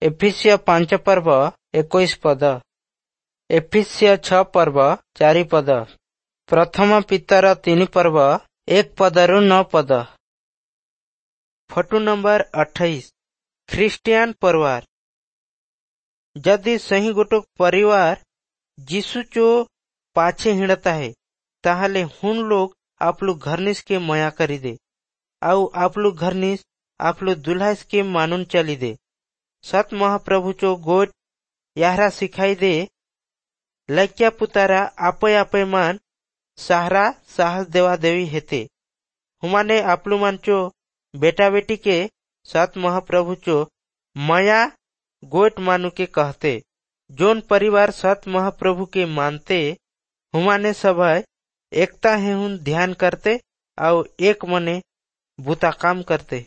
ଏଫିସୀୟ 5 ପର୍ବ 21 ପଦ, ଏଫିସୀୟ 6 ପର୍ବ 4 ପଦ, ପ୍ରଥମ ପିତର 3 ପର୍ବ 1 ପଦରୁ 9 ପଦ। ଫଟୋ ନମ୍ବର 28, ଖ୍ରୀଷ୍ଟିଆନ ପରିବାର। ଯଦି ସେହି ଗୋଟ परिवार जीशु चो पाछे हिंडता है, ताहले हुन लोग आपलु घरनिस के मया करी दे आउ आपलु घरनिस आपलु दुल्हास के मानुन चली दे। सत महाप्रभु चो गोट याहरा सिखाई दे, लड़किया पुतारा आपे आपे मान सहारा साहस देवा देवी हेते। हुमाने आपलु मान चो बेटा बेटी के सत महाप्रभु चो माया गोट मानु के कहते। जोन परिवार सत महाप्रभु के मानते, हुमाने सब एकता है हुन ध्यान करते और एक मने बुता काम करते।